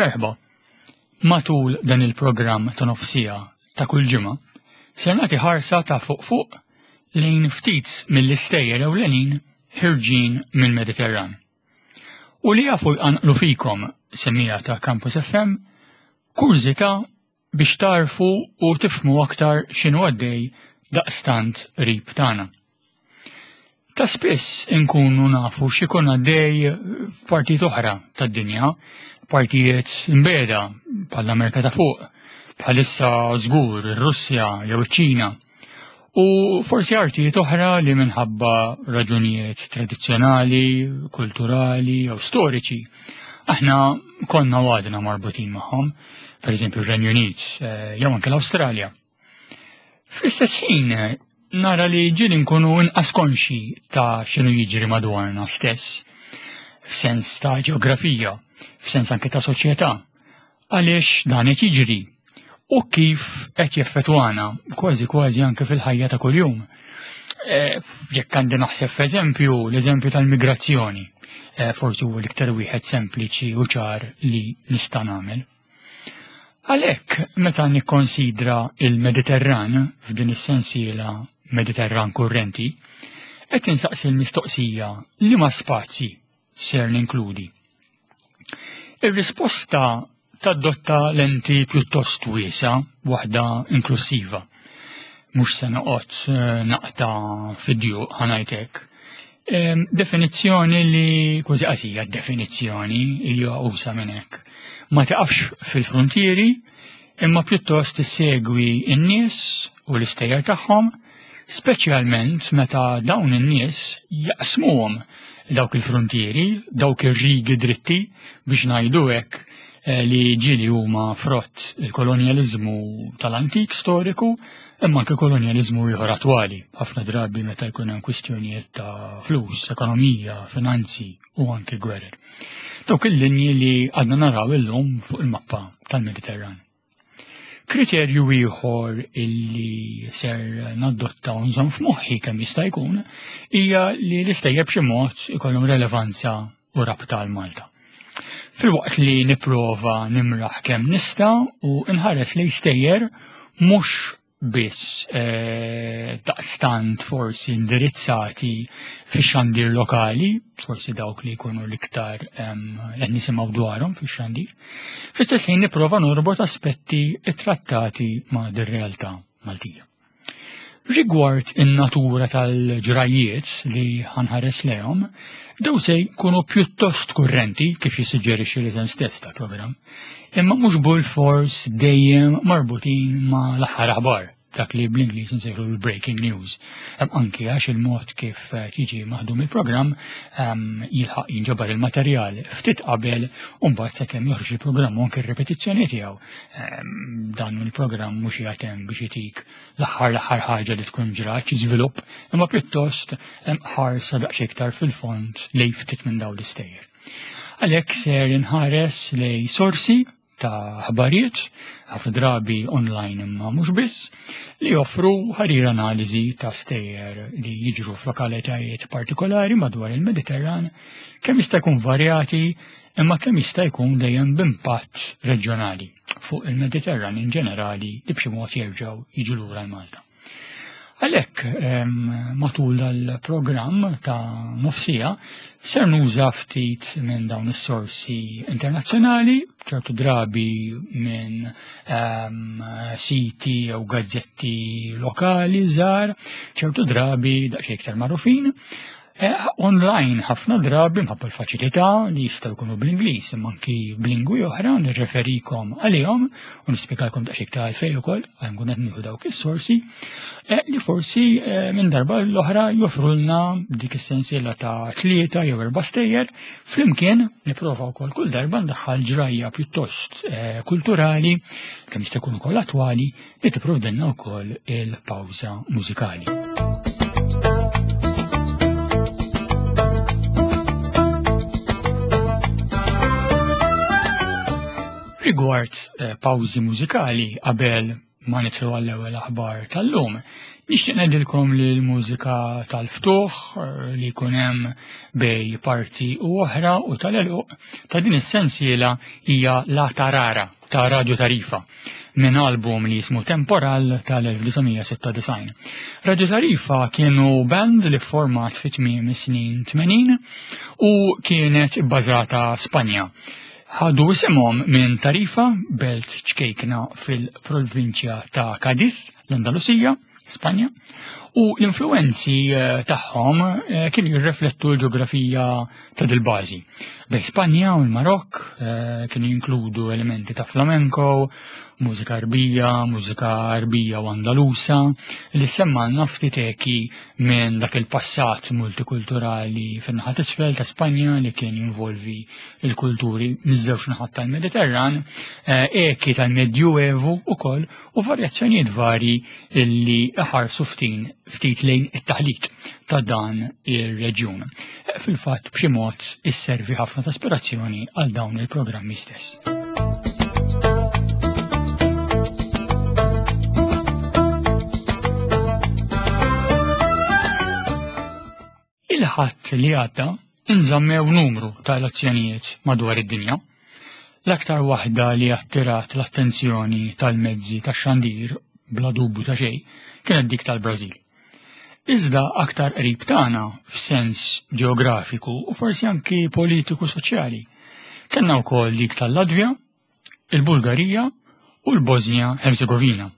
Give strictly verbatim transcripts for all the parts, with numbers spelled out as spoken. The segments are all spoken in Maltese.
Merħba. Matul dan il-programm ta' nofsija ta' kull ġimgħa, ser nagħti ħarsa ta' fuq fuq lejn ftit mill-istejjer ewlenin ħirġin mill-Mediterran. U li jafu jqanqlu fikom semmiegħa ta' Campus F M kurżità biex tarfu u tifmu aktar x'inhu għaddej daqstant qrib tagħna. Ta' spiss inkunu nafu x'ikun għaddej f'partijiet oħra tad-dinja, partijiet imbeda bħall-Amerika ta' fuq, bħalissa żgur ir-Russja jew iċ-Ċina, u forsi artijiet oħra li minħabba raġunijiet tradizzjonali, kulturali jew storiċi aħna konna u għadna marbutin magħhom, per eżempju r-Renju Unit, eh, jew anke l-Awstralja. Fl-istess ħin nara li ġieli nkunu inqas konxi ta' x'inhu jiġri madwarna stess, f'sens ta' ġeografija, f'sens anke ta' soċjetà, għaliex dan qed jiġri u kif qed jeffettwana kważi kważi anke fil-ħajja ta' kuljum. Eh, jekk għandi naħseb f'eżempju, l-eżempju tal-migrazzjoni, eh, forsi huwa l-iktar wieħed sempliċi u ċar li nista' nagħmel. Għalhekk meta nikkonsidra il-Mediterran f'din is-sensiela Mediterran kurrenti, qed insaqsi l-mistoqsija li ma spazji ser ninkludi. Ir-risposta tadotta lenti pjuttost wiesa, waħda inklusiva. Mhux se noqgħod, eh, naqta' fid-djuq ħanajtek. Em, definizzjoni li kważi qasija definizzjoni hija usa minn hekk. Ma tiqafx fil-frontieri, imma pjuttost issegwi n-nies u l-istejjer tagħhom, speċjalment meta dawn in-nies jaqsmuhom dawk il-frontieri, dawk ir-rigi dritti biex ngħidu hekk, eh, li ġieli huma frott il-kolonjaliżmu tal-antik storiku, imma anke kolonjaliżmu ieħor attwali, ħafna drabi meta jkun hemm kwistjonijiet ta' flus, ekonomija, finanzi u anke gwerer. Dawk il-linji li għadna naraw illum fuq il-mappa tal-Mediterran. Kriterju ieħor illi ser nadotta u nżomm f'moħħi kemm jista' jkun hija li l-istejjer b'xi mod ikollhom relevanza u rabta għal Malta. Filwaqt li nipprova nimraħ kemm nista' u nħares li stejjer mhux biss, eh, daqstant forsi indirizzati fix-xandir lokali, forsi dawk li jkunu l-iktar, ehm, qed nisimgħu dwarhom fix-xandir, fl-istess ħin nipprova norbot aspetti ttrattati ma' dir-realtà Maltija. Rigward in-natura tal-ġrajiet li ħanħares lehom, daw se jkunu pjuttost kurrenti kif jissuġġerixxi l-isem stess tal-programm, imma mhux bil-fors dejjem marbutin ma' l-aħħar aħbar, dak li bl-Ingliż nsejħu l-breaking news. Hemm anki għax il-mod kif, eh, tiġi maħdum il-programm, ehm, jilħaq jinġabar il-materjal ftit qabel u mbagħad sakemm joħroġ il-programm u anke r-ripetizzjoni tiegħu. Ehm, dan il-programm mhux qiegħed hemm biex itik l-aħħar l-aħħar ħaġa li tkun ġrat xi żvilupp, imma pjuttost hemm ħarsa daqsxejn iktar fil-fond lejn ftit minn dawn l-istejjer. Għalhekk ser inħares lejn sorsi ta' ħbarijiet, ħafna drabi online imma mhux biss, li joffru ħarir analiżi ta' stejjer li jiġru f'lokalitajiet partikolari madwar il-Mediterran, kemm jista' jkun varjati imma kemm jista' jkun dejjem b'impatt reġjonali fuq il-Mediterran in ġenerali li b'xi mod jerġgħu jiġu lura l-Malta. Għalhekk, ehm, matul dal-programm ta' nofsija ser nuża ftit minn dawn is-sorsi internazzjonali, ċertu drabi minn, ehm, siti jew gazzetti lokali żgħar, ċertu drabi daqsxejn iktar magħrufin. Eh, online ħafna drabi mħabba l-faċilità li jistgħu jkunu bl-Ingliż imma anki b'lingwi oħra nirreferikom għalihom u nispjegalkom daqsxejn iktar għalfejn ukoll għal nkun qed nieħu dawk is-sorsi, eh, li forsi, eh, minn darba l-oħra joffrulna dik is-sensiela ta' tlieta jew erba' stejjer flimkien nipprova wkoll kull darba ndaħħal ġrajja pjuttost, eh, kulturali kemm jista' jkun ukoll attwali li tipprovdilna wkoll il-pawża mużikali. Rigward, eh, pawżi mużikali qabel ma nidħlu għall-ewwel aħbar tal-lum, nixtieq ngħidilkom li l-mużika tal-ftuħ eh, li jkun hemm bej parti u oħra u tal-eluq ta' din is-sensiela hija La Tarara ta' Radio Tarifa minn album li jismu Temporal tal-elf disa' sitta disgħin. Radio Tarifa kienu band li format fi tmiem is-snin tmenin u kienet bbażata Spanja. Ħadu isimhom minn Tarifa, belt ċkejkna fil-provinċja ta' Cadiz, l-Andalusija, Spanja, u l-influenzi, eh, tagħhom, eh, kienu jirreflettu l-ġeografija ta' dil-bażi. Bej Spanja u l-Marokk, eh, kienu jinkludu elementi ta' flamenco, mużika Arbija, mużika Arbija u Andalusa, li semmalna ftit eki minn dak il-passat multikulturali fin-naħa t'isfel ta' Spanja li kien jinvolvi il-kulturi miż-żewġ naħat tal-Mediterran, eh, eki tal-Medjuevu ukoll u varjazzjonijiet varji illi ħarsu ftit, ftit lejn it-taħlit ta' dan ir-reġjun. Eh, fil-fatt b'xi mod isservi ħafna ta' ispirazzjoni għal dawn il-programmi stess. Il-ħadd li għadda inżammew numru ta' elezzjonijiet madwar id-dinja. L-aktar waħda li attirat l-attenzjoni tal-mezzi tax-xandir bla dubju ta' xejn kienet dik tal-Brażil. Iżda aktar qrib tagħna f'sens ġeografiku u forsi anki politiku soċjali. Kellna wkoll dik tal-Latvja, il-Bulgarija u l-Bosnia Herzegovina.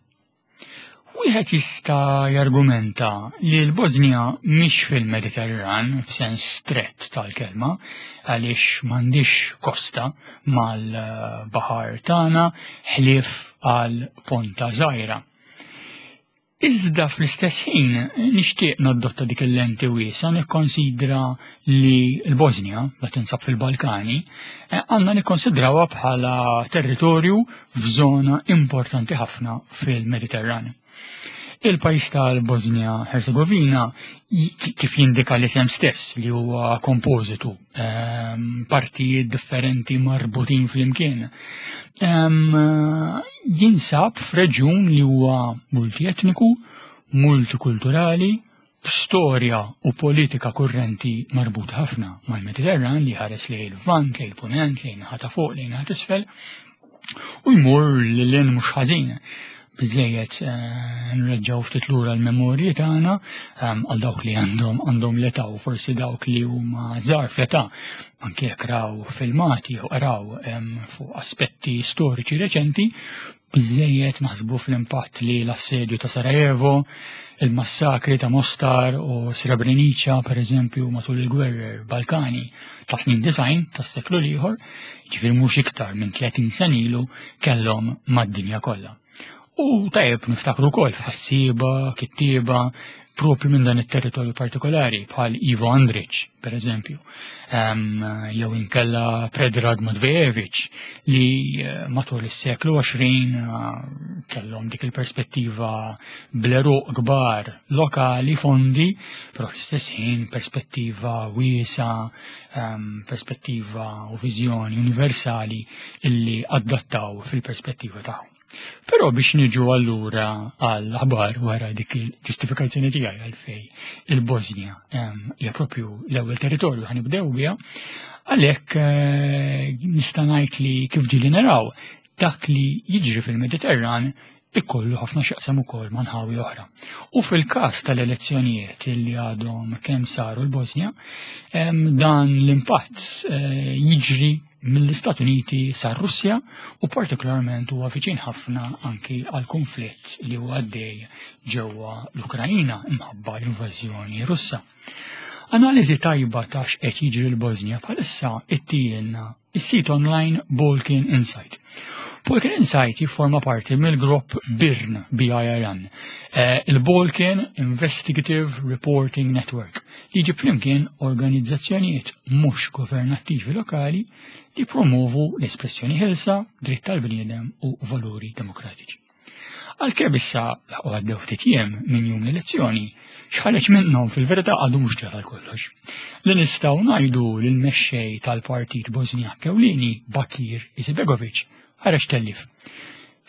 Wieħed jista' jargumenta li l-Bosnia mhix fil-Mediterran f'sens strett tal-kelma għaliex m'għandix kosta mal-baħar tagħna ħlief għal Ponta Żgħira. Iżda fl-istess ħin nixtieq nadotta dik il-lenti wiesa nikkonsidra li l-Bosnia, la tinsab fil-Balkani, eh, għandna nikkonsidrawha bħala territorju f'żona importanti ħafna fil-Mediterran. Il-pajjiż tal-Bosnia Herzegovina i-, kif jindika l-isem stess li huwa kompożitu, ehm, partijiet differenti marbutin flimkien, ehm, jinsab f'reġjun li huwa multietniku, multikulturali, b'storja u politika kurrenti marbut ħafna mal-Mediterran li ħares lejn il-Lvant, lejn il-Punent, lejn naħa ta' fuq, lejn naħa t'isfel, u jmur lil hinn mhux ħażin. Biżejjed, eh, nreġgħu ftit lura l-memorji tagħna, ehm, għal dawk li għandhom, għandhom l-età u forsi dawk li huma żgħar fl-età, anke jekk raw filmati jew qraw, ehm, fuq aspetti storiċi reċenti, biżejjed naħsbu fl-impatt li l-assedju ta' Sarajevo, il-massakri ta' Mostar u Srebrenica, per eżempju, matul il-gwerrer Balkani ta' snin disgħin tas-seklu l-ieħor, ġifieri mhux iktar minn tletin sena ilu kellhom mad-dinja kollha. U tajjeb niftakru wkoll f'ħassieba, kittieba, propju minn dan it-territorju partikolari bħal Ivo Andrić, per eżempju, ehm, jew inkella Predrag Matvejević li, eh, matul is-seklu għoxrin, eh, kellhom dik il-perspettiva bl-eruq kbar lokali fondi, però fl-istess ħin perspettiva wiesa, ehm, perspettiva u viżjoni universali illi adattaw fil-perspettiva tagħhom. Però biex niġu allura għall-aħbar wara dik il-ġustifikazzjoni tiegħi għalfej il-Bosnia, ehm, hija propju l-ewwel territorju ħanibdew biha, għalhekk, eh, nista' ngħid li kif ġieli naraw dak li jiġri fil-Mediterran ikollu ħafna x'jaqsam ukoll ma' nħawi oħra. U fil-każ tal-elezzjonijiet li għadhom kemm saru l-Bosnia, ehm, dan l-impatt, eh, jiġri mill-Istati Uniti sar-Russja u partikolarment huwa viċin ħafna anki għal konflitt li huwa għaddej ġewwa l-Ukrajina imħabba l-invażjoni Russa. Analiżi tajba ta' x'qed jiġri l-Bosnia bħalissa ittielna is-sit online Balkan Insight. Balkan Insight jifforma parti mill-grupp BIRN, B I R N, eh, il-Balkan Investigative Reporting Network, li jġib flimkien organizzazzjonijiet mhux governattivi lokali li promovu l-espressjoni ħelsa, dritt tal-bniedem u valuri demokratiċi. Għalkemm issa laqgħu għaddew ftit jiem minn jum l-elezzjoni, x'ħareġ minnhom fil-verità għadu mhux ġara kollox. Li nistgħu ngħidu lil mexxej tal-Partit Bosniak Ewlieni Bakir Izetbegović ħareġ tellif.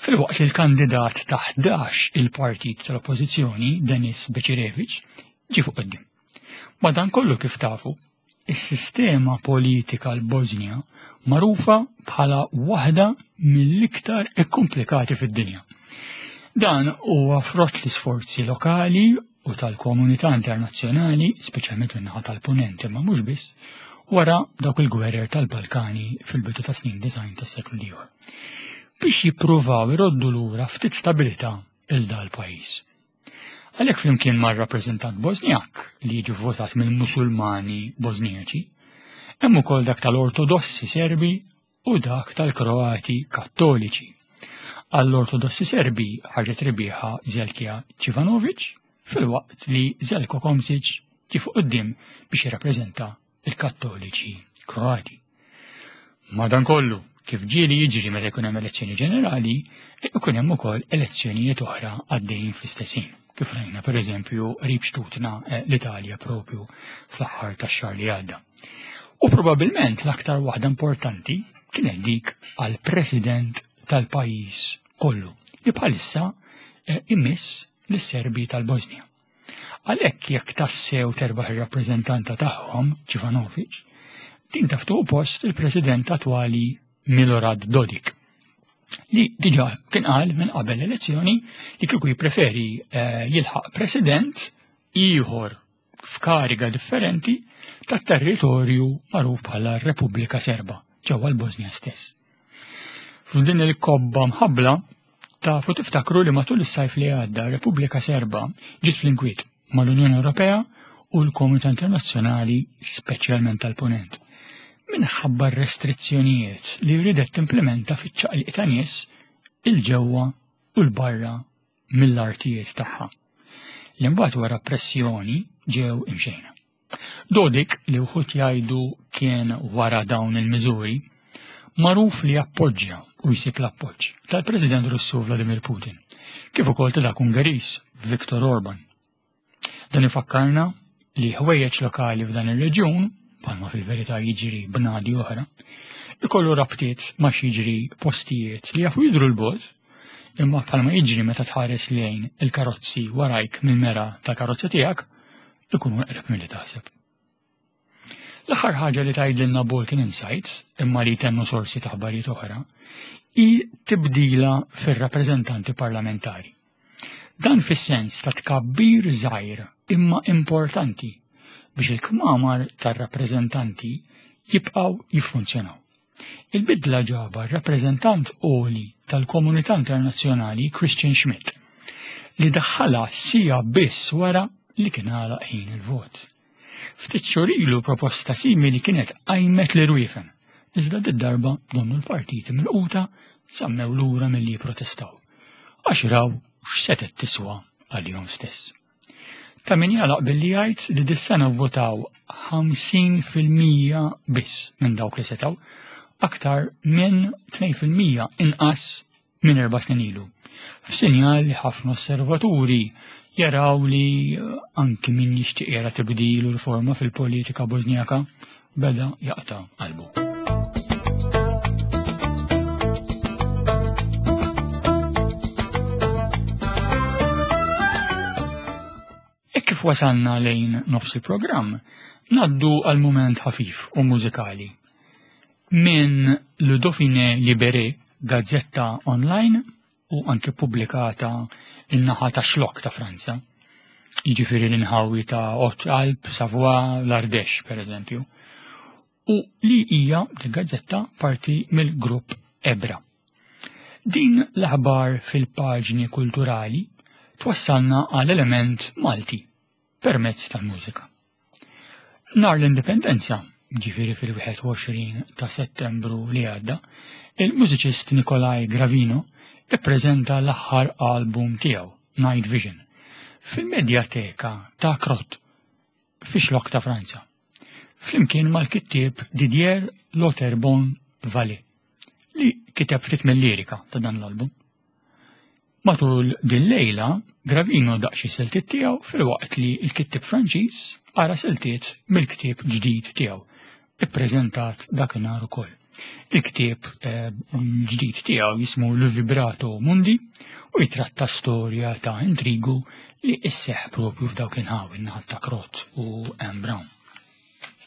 Filwaqt li l-kandidat ta' ħdax il-partit tal-Oppożizzjoni, Denis Becirevic, ġie fuq quddiem. Madankollu kif tafu, is-sistema politika l-Bosnja magħrufa bħala waħda mill-iktar ikkomplikati fid-dinja. Dan huwa frott l-isforzi lokali u tal-komunità internazzjonali, speċjalment min-naħa tal-Punent imma mhux biss, wara dawk il-gwerer tal-Balkani fil-bidu ta' snin disgħin tas-seklu l-ieħor, biex jippruvaw iroddu lura ftit stabilità il dal pajjiż. Għalhekk flimkien mar-rappreżentant Bosnjak li jiġi votat mill-Musulmani Bosnijaċi, hemm ukoll dak tal-Ortodossi Serbi u dak tal-Kroati Kattoliċi. Għall-Ortodossi Serbi ħarġet rebbieħa Zelkija Ċivanovic, filwaqt li Zelko Komsic ġie fuq quddiem biex jirrappreżenta il-Kattoliċi Kroati. Madankollu, kif ġieli jiġri meta jkun hemm elezzjoni ġenerali, ikun hemm ukoll elezzjonijiet oħra għaddejjin fl-istess ħin. Kif rajna pereżempju qrib xtutna eh, l-Italja propju fl-aħħar tax-xahar li għadda. U probabbilment l-aktar waħda importanti kienet dik għal president tal-pajjiż kollu li bħalissa eh, imiss lis-Serbi tal-Bosnja. Għalhekk jekk tassew terbaħ ir-rappreżentanta tagħhom, Ċivanovic, din taftu post il-president attwali Milorad Dodik, li diġà kien qal minn qabel l-elezzjoni li kieku jippreferi eh, jilħaq president ieħor f'kariga differenti tat-territorju magħruf bħala Repubblika Serba ġewwa l-Bosnja stess. F'din il-kobba mħabbla tafu tiftakru li matul is-sajf li għadda Repubblika Serba ġiet fl-inkwiet mal-Unjoni Ewropea u l-Komunità Internazzjonali, speċjalment tal-Punent, minħabba restrizzjonijiet li ridet timplementa fiċ-ċaqliq ta' nies il-ġewwa u l-barra mill-artijiet tagħha. Li mbagħad wara pressjoni ġew imxejna. Dodik, li wħud jgħidu kien wara dawn il-miżuri, magħruf li appoġġja u jsib l-appoġġ tal-President Russu Vladimir Putin, kif ukoll ta' dak Ungeriż Viktor Orban. Dan ifakkarna li ħwejjeġ lokali f'dan ir-reġjun, bħalma fil-verità jiġri bnadi oħra, ikollu rabtiet ma' jiġri postijiet li jafu jidru l-bogħod, imma bħalma jiġri meta tħares lejn il-karozzi warajk mill-mera tal-karozza tiegħek, ikunu eqreb milli taħseb. L-aħħar ħaġa li tgħidilna Balkan Insight, imma li tennu sorsi ta' aħbarijiet oħra, hi tibdila fir-rappreżentanti parlamentari. Dan fis-sens ta' tkabbir żgħir imma importanti biex il-kmamar tar-rappreżentanti jibqgħu jiffunzjonaw. Il-bidla ġaba r-rappreżentant għoli tal-Komunità Internazzjonali Christian Schmidt, li daħħalha sija biss wara li kien għalaq ħin il-vot. Ftit xhur ilu proposta simili kienet qajmet li rwiefen, iżda d-darba donnu l-partiti mill-quta sammew lura milli jipprotestaw, għax raw x'setet tiswa għalihom stess. Ta' min jalaq billi jgħid li dis-sena votaw ħamsin fil-mija biss minn dawk li setaw, aktar minn tnejn fil-mija inqas minn erba' snin ilu. F'sinjal li ħafna osservaturi jaraw li anki min jixtieq jara tibdil u riforma fil-politika Bosnjaka beda jaqta' qalbu. E kif wasalna lejn nofs il-programm, naddu għal mument ħafif u mużikali. Minn Le Dauphiné Libéré, gazzetta online u anke pubblikata in-naħa ta' xlok ta' Franza, jiġifieri l-inħawi ta' Hautes-Alpes, Savoie, l-Ardèche, per eżempju, u li hija l-gazzetta parti mill-grupp Ebra. Din l-aħbar fil-paġni kulturali twassalna għal element Malti permezz tal-mużika. Nar l-Indipendenza, ġifieri fil-wieħed u għoxrin ta' Settembru li għadda, il-mużiċist Nikolaj Gravino ippreżenta l-aħħar album tiegħu, Night Vision, fil-Medjateka ta' Crot, fi xlok ta' Franza, flimkien mal-kittieb Didier Loterbon Vallée, li kiteb ftit mill-lirika ta' dan l-album. Matul din lejla, Gravino daq xi siltiet tiegħu filwaqt li l-kittieb Franċiż qara siltiet mill-ktieb ġdid tiegħu, ippreżentat dakinhar ukoll. Il-ktieb eh, ġdid tiegħu jismu Le Vibrato Mundi u jitratta storja ta' intrigu li isseħ propju f'dawk l-inħawi naħat ta' Krot u M. Brown.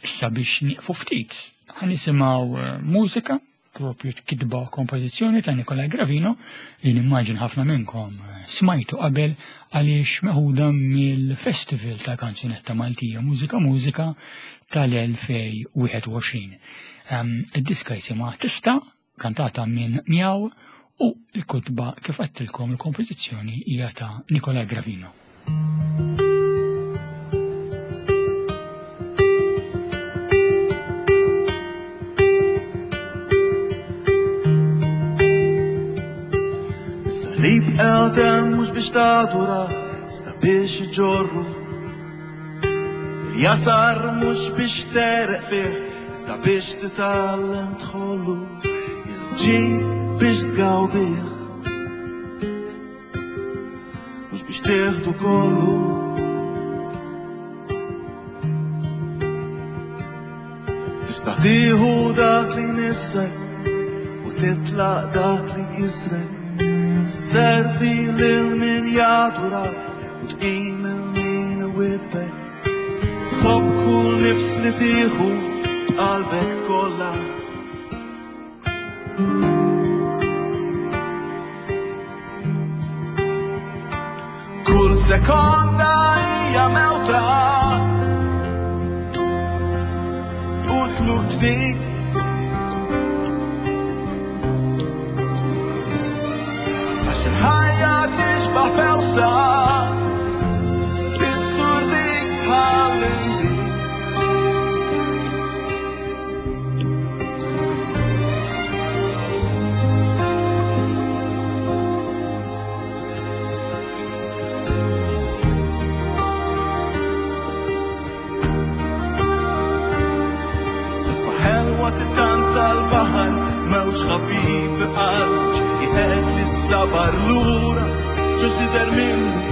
Issa biex nieqfu ftit, ħa nisimgħu eh, mużika propju kitba kompożizzjoni ta' Nikolaj Gravino li nimmaġin ħafna minnkom eh, smajtu qabel għaliex meħuda mill-Festival ta' Kanzunetta Maltija Mużika Mużika tal-elfejn u wieħed u għoxrin. Ehm, id-diska jisimha Tista, kantata minn Miaw, u l-kutba kif għedtilkom il-kompożizzjoni hija ta' Nikolaj Gravino. Salib għadem mux biex tadura, sta biex iġorru. Il-jasar mux biex tereq fih, sta biex titgħallem tħollu. Il-ġid biex tgawdih, mux biex tieħdu kollu. Tista' tieħu dak li jmissek u titlaq dak li jkissrek. Servi lil min jadurak u tqim il min iwidbek. Tħobb kull nifs li tieħu b'qalbek kollha. Kull sekonda hija mewta u tluq ġdid. Ħajja tixbaħ bewsa, tistur dik bħal inbid. Saffa ħelwa tittanta l-baħar, mewġ ħafif iqarġ, jitqed lis-sabar lura, ġo sider minni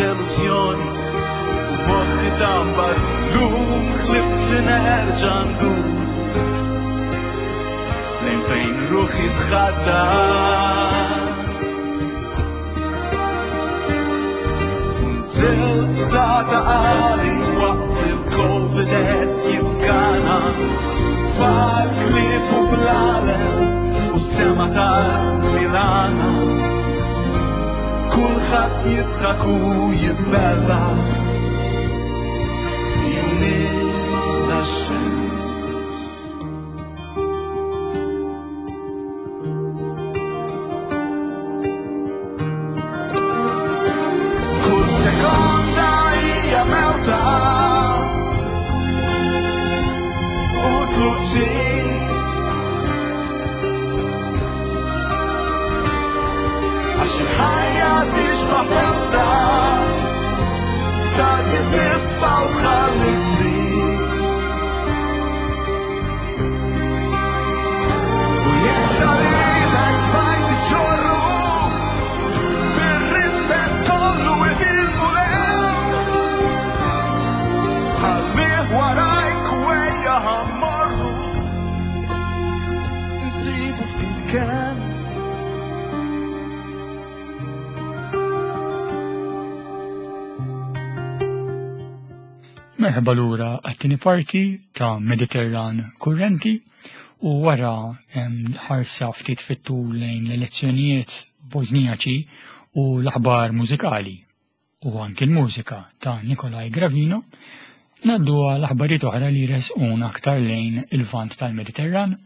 delusjoni u moħħi tambar lum ħlift li nerġa' ndur lejn fejn ruħi tħaddar. Nżilt sa ta' għali waqt li l-Covid qed jifgana, tfal klieb u blalem u sema ta' Milana. Kulħadd jidħak u jitbella, junis tax-xemx. Kull sekonda hija mewta u tluq ġdid. Għax il-ħajja tixbaħ bewsa, tagħti siffa u tħalli trid. U jekk salibek smajt iġorru, bir-rispett kollu itilqu l-hemm. Ħallih warajk u ejja ħammorru, insibu ftit kemm. Merħba lura għat-tieni parti ta' Mediterran Kurrenti u wara, em, ħarsa ftit fit-tul lejn l-elezzjonijiet Bosnijaċi u l-aħbar mużikali u anki l-mużika ta' Nikolaj Gravino, naddu għal aħbarijiet oħra li resquna aktar lejn il-vant tal-Mediterran,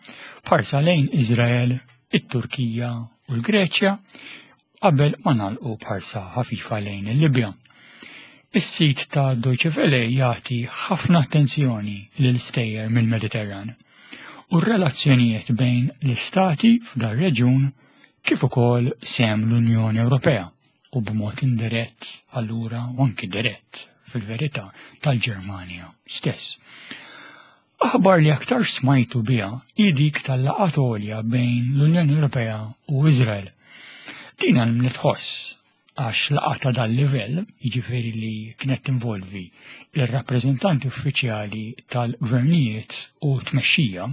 b'ħarsa lejn Izrael, it-Turkija u l-Greċja, qabel ma nagħlqu b'ħarsa ħafifa lejn il-Libja. Is-sit ta' Deutsche Welle jagħti ħafna attenzjoni lil stejjer mill-Mediterran u r-relazzjonijiet bejn l-istati f'dar reġjun kif ukoll sem l-Unjoni Ewropea u b'mod indirett allura u anki dirett fil-verità tal-Ġermanja stess. Aħbar li aktar smajtu biha hi dik tal-laqgħat għolja bejn l-Unjoni Ewropea u Izrael. Din għal nitħoss għax laqgħa ta' dal-livell, jiġifieri li kienet tinvolvi ir-rappreżentanti uffiċjali tal-gvernijiet u tmexxija,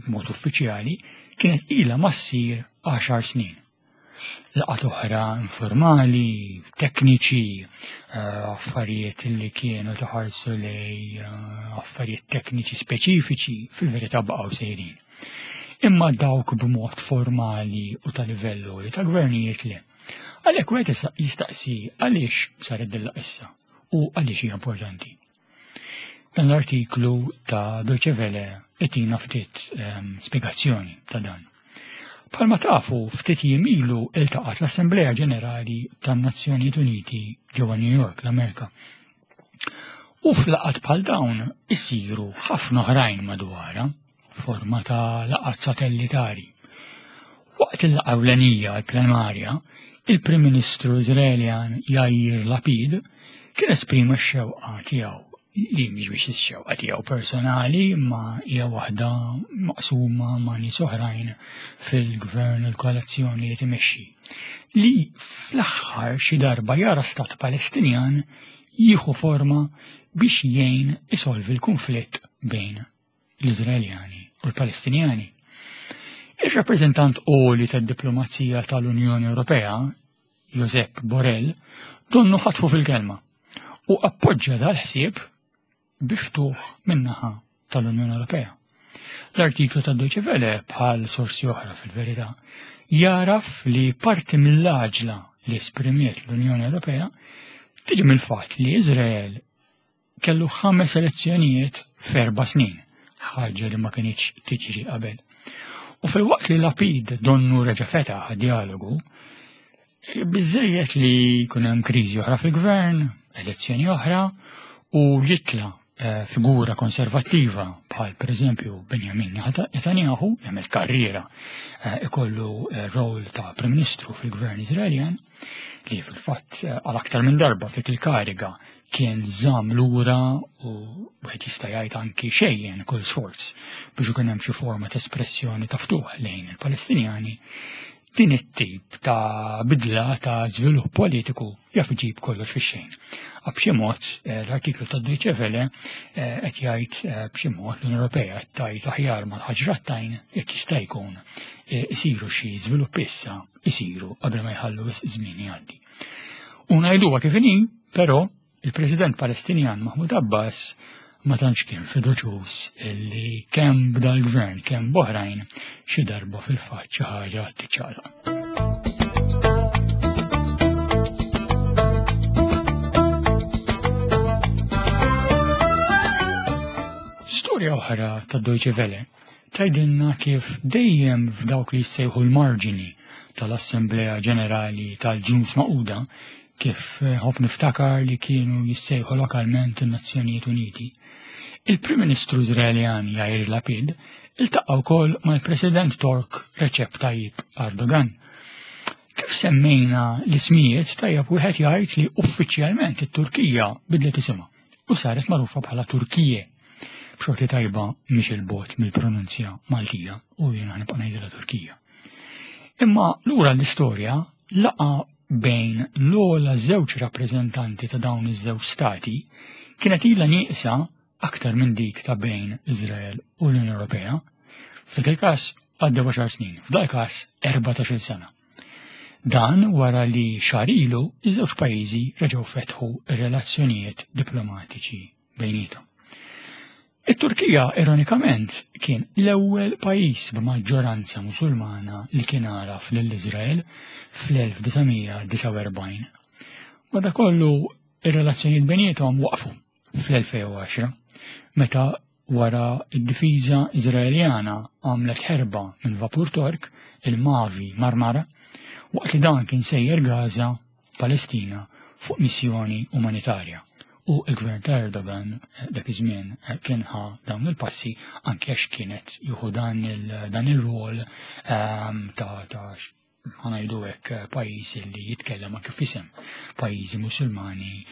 b'mod uffiċjali kienet ilha ma ssir għaxar snin. Laqgħat oħra informali, tekniċi, affarijiet li kienu taħarsu lej affarijiet tekniċi speċifiċi fil-verità baqgħu sejrin. Imma dawk b'mod formali u ta' livellu li ta' gvernijiet le. Għalhekk wieħed jistaqsi għaliex saret dilla issa u għaliex hija importanti. Dan l-artiklu ta' Deutsche Welle itina ftit um, spjegazzjoni ta' dan. Bħalma tafu ftit jiem ilu iltaqat l-Assemblea Ġenerali tan-Nazzjonijiet Uniti ġewwa New York, l-Amerika. U f'laqgħat bħal dawn isiru ħafna oħrajn madwarha, forma ta' laqgħat satellitari. Waqt il-laqgħa ewlenija l-plenarja, il-Prim Ministru Iżraeljan Yair Lapid kien esprima x-xewqa tiegħu li mhix biex ix-xewqa tiegħu personali ma hija waħda maqsuma ma' nies oħrajn fil-gvern u l-koalizzjoni li timexxi, li fl-aħħar xi darba jara stat Palestinjan jieħu forma biex jgħin isolvi l-konflitt bejn l-Iżraeljani u l-Palestinjani. Ir-rappreżentant għoli tad-diplomazija tal-Unjoni Ewropea, Josep Borrell, donnu ħatfu fil-kelma u appoġġa dal-ħsieb biftuħ min-naħa tal-Unjoni Ewropea. L-artiklu ta' Deutsche Welle, bħal sorsi oħra fil-verità, jaraf li parti mill-għaġla li esprimiet l-Unjoni Ewropea tiġi mill-fatt li Iżrael kellu ħames elezzjonijiet f'erba' snin, ħaġa li ma kinitx tiġri qabel. U fil-waqt li Lapid donnu reġa' fetaħ dialogu, biżejjed li jkun hemm kriżi oħra fil-gvern, elezzjoni oħra, u jitla figura konservattiva bħal pereżempju Benjamin Netanyahu jagħmel karriera, ikollu rol ta' Prim Ministru fil-Gvern Iżraeljan, li fil-fatt għal aktar minn darba fik il-kariga kien żamm lura u wieħed jista' jgħid anki xejjen kull sforz biex ikun hemm xi forma ta' espressjoni ta' ftuħ lejn il-Palestinjani. Din it-tip ta' bidla ta' żvilupp politiku jaf iġib kollox fix-xejn. B'xi mod l-artiklu ta' Deutsche Welle qed jgħid b'xi mod l-Unjoni Ewropea qed tgħid aħjar mal-ħaġrattajn jekk jista' jkun isiru xi żvilupp issa isiru qabel ma jħallu żmien jgħaddi. U ngħiduha kif inhi, però il-President Palestinjan Mahmoud Abbas ma tantx kien fiduċjuż li kemm b'dal-gvern kemm b'oħrajn xi darba fil-fatt xi ħaġa tiċċaqlaq. Storja oħra ta' Deutsche Welle tgħidilna kif dejjem f'dawk li jissejħu l-marġini tal-Assemblea Ġenerali tal-Ġnus Magħquda, kif ħobb niftakar li kienu jissejħu lokalment in-Nazzjonijiet Uniti, il-Prim Ministru Iżraeljan Yair Lapid iltaqa' wkoll mal-President Tork Recep Tayyip Erdogan. Kif semmejna l-ismijiet, tajjeb wieħed jgħid li uffiċjalment it-Turkija bidlet isimha u saret magħrufa bħala Turkije. B'xorti tajba mhix il-bot mill-pronunzja Maltija u jiena nibqa' ngħidilha Turkija. Imma lura l-istorja laqa bejn l-ogħla żewġ rappreżentanti ta' dawn iż-żewġ stati kienet ilha nieqsa aktar minn dik ta' bejn Iżrael u l-Unjoni Ewropea. F'dak il-każ għaddew għaxar snin, f'dak il-każ erbatax-il sena. Dan wara li xahar ilu iż-żewġ pajjiżi reġgħu fetħu r-relazzjonijiet diplomatiċi bejniethom. It-Turkija, ironikament, kien l-ewwel pajjiż b'maġġoranza Musulmana li kien għaraf lil Iżrael fl-elf disa' mija disgħa u erbgħin. Madankollu ir-relazzjonijiet bejniethom waqfu fl-elfejn u għaxra, meta wara d-difiża Iżraeljana għamlet ħerba minn vapur Tork, il-Mavi Marmara, waqt li dan kien sejjer Gaza, Palestina, fuq missjoni umanitarja. U l-gvern ta' Erdogan dak iż-żmien kien ħa dawn il-passi anke għax kienet jieħu dan il-rol ta' ta' ħanajdu hekk pajjiż li jitkellem anke f'isem pajjiżi Musulmani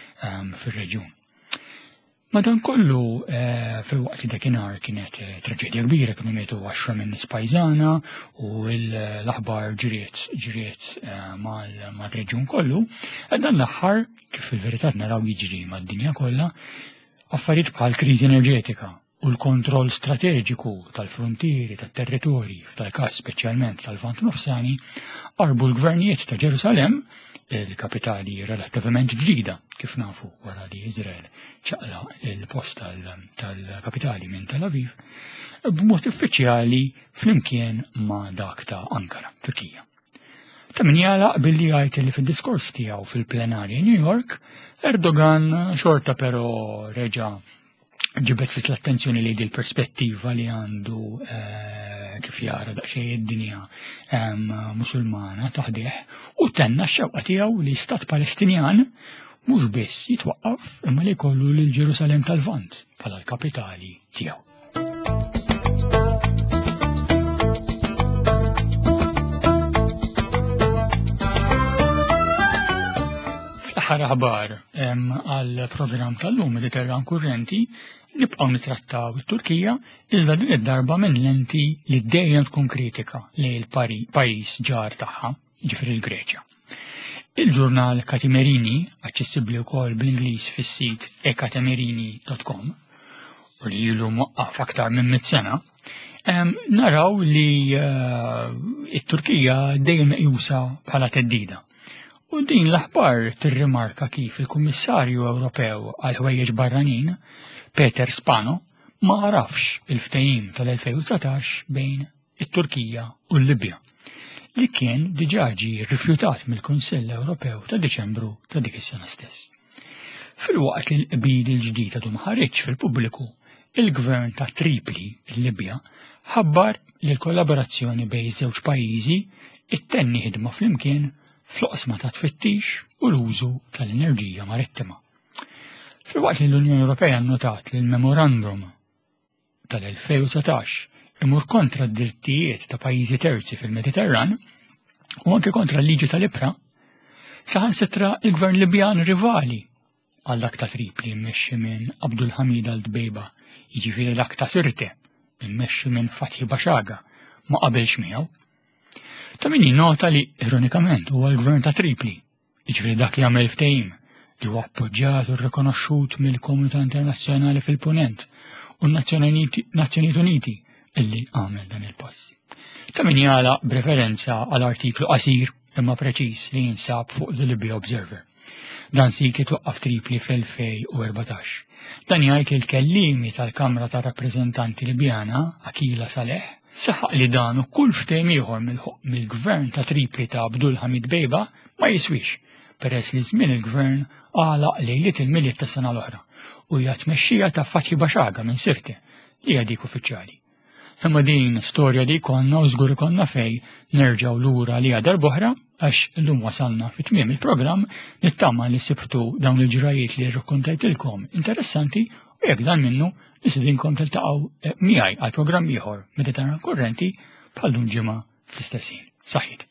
fir-reġjun. Madankollu fil-waqt li dakinhar kienet traġedja kbira, kienu mietu għaxra minn nies pajżana u l-aħbar ġriet ġriet mal-reġjun kollu, dan l-aħħar kif fil-verità naraw jiġri mad-dinja kollha, affarijiet bħal kriżi enerġetika u u l-kontroll strateġiku tal-frontieri tat-territorji, f'dal-każ speċjalment tal-Lvant Nofsani, qarbu l-gvernijiet ta' Ġerusalemm, il-kapitali relattivament ġdida, kif nafu wara li Izrael ċaqlaq il-post tal-kapitali minn Tel Aviv, b'mod uffiċjali flimkien ma' dak ta' Ankara, Turkija. Ta' min jagħlaq billi jgħid li fid-diskors tiegħu fil-plenarji New York, Erdogan xorta però reġa' ġibed fit l-attenzjoni li l-perspettiva li għandu eh, kif jara daqsxejn id-dinja Musulmana taħdih u tenna x-xewqa tiegħu li stat Palestinjan mhux biss jitwaqqaf imma li jkollu lil Ġerusalem tal-Lvant bħala l-kapitali tiegħu. Fl-aħħar aħbar għal programm tal-lum Mediterran Kurrenti nibqgħu nitrattaw it-Turkija iżda din id-darba minn lenti li dejjem tkun kritika lejn il-pajjiż ġar tagħha, jiġifieri l-Greċja. Il-ġurnal Katimerini, aċċessibbli wkoll bl-Ingliż fis-sit ekatimerini dot com, u li ilu mwaqqaf aktar minn mitt sena, naraw li it-Turkija dejjem meqjusa bħala teddida. U din l-aħbar tirrimarka kif il-Kummissarju Ewropew għal ħwejjeġ barranin, Peter Spano, ma għarafx il-ftehim tal-elfejn u dsatax bejn it-Turkija u l-Libja, li kien diġà ġie rrifjutat mill-Kunsill Ewropew ta' Diċembru ta' dik is-sena stess. Filwaqt li l-qbil il-ġdid għadu ma ħareġx fil-pubbliku, il-gvern ta' Tripli, il-Libja, ħabbar li l-kollaborazzjoni bejn iż-żewġ pajjiżi ittenni ħidma flimkien fl-oqsma ta' tfittix u l-użu tal-enerġija marittima. Filwaqt li l-Unjoni Ewropea nnotat li l-memorandum tal-elfejn u dsatax imur kontra d-drittijiet ta' pajjiżi terzi fil-Mediterran u anke kontra l-liġi tal-Ibra, saħansitra il-gvern Libjan rivali għal dak ta' Tripli mmexxi minn Abdul Hamid al-Dbejba, jiġifieri dak ta' Sirte mmexxi minn Fathi Bashaga, ma qabelx miegħu. Ta' min jinnota li ironikament huwa l-gvern ta' Tripli, jiġifieri dak li għamel ftehim li huwa appoġġjat u rikonoxxut mill-komunità internazzjonali fil-Punent u n-Nazzjonijiet Uniti illi għamel dan il-pass. Ta' min jagħlaq b'referenza għal artiklu qasir imma preċiż li jinsab fuq The Libya Observer. Dan sit li twaqqaf Tripli fl-elfejn u erbatax. Dan jgħid li l-kellimi tal-Kamra tar-Rappreżentanti Libjana, Akila Saleh, saħaq li dan u kull ftehim ieħor mill-gvern ta' Tripli ta' Abdul Hamid Bejba ma jiswix, peress li żmien il-gvern għalaq lejliet il-Milied ta' sena l-oħra u hija tmexxija ta' Fathi Bashaga minn Sirte li hija dik uffiċjali. Imma din storja li konna u żgur ikollna fej nerġgħu lura li għadar boħra għax illum wasalna fi tmiem il-programm, nittama li sibtu dawn il-ġrajiet li rrakkontajtilkom interessanti u jekk dan minnu nistedinkom tiltaqgħu miegħi għal programm ieħor Mediterran Kurrenti bħal dun ġimgħa fl-istess ħin. Saħħit.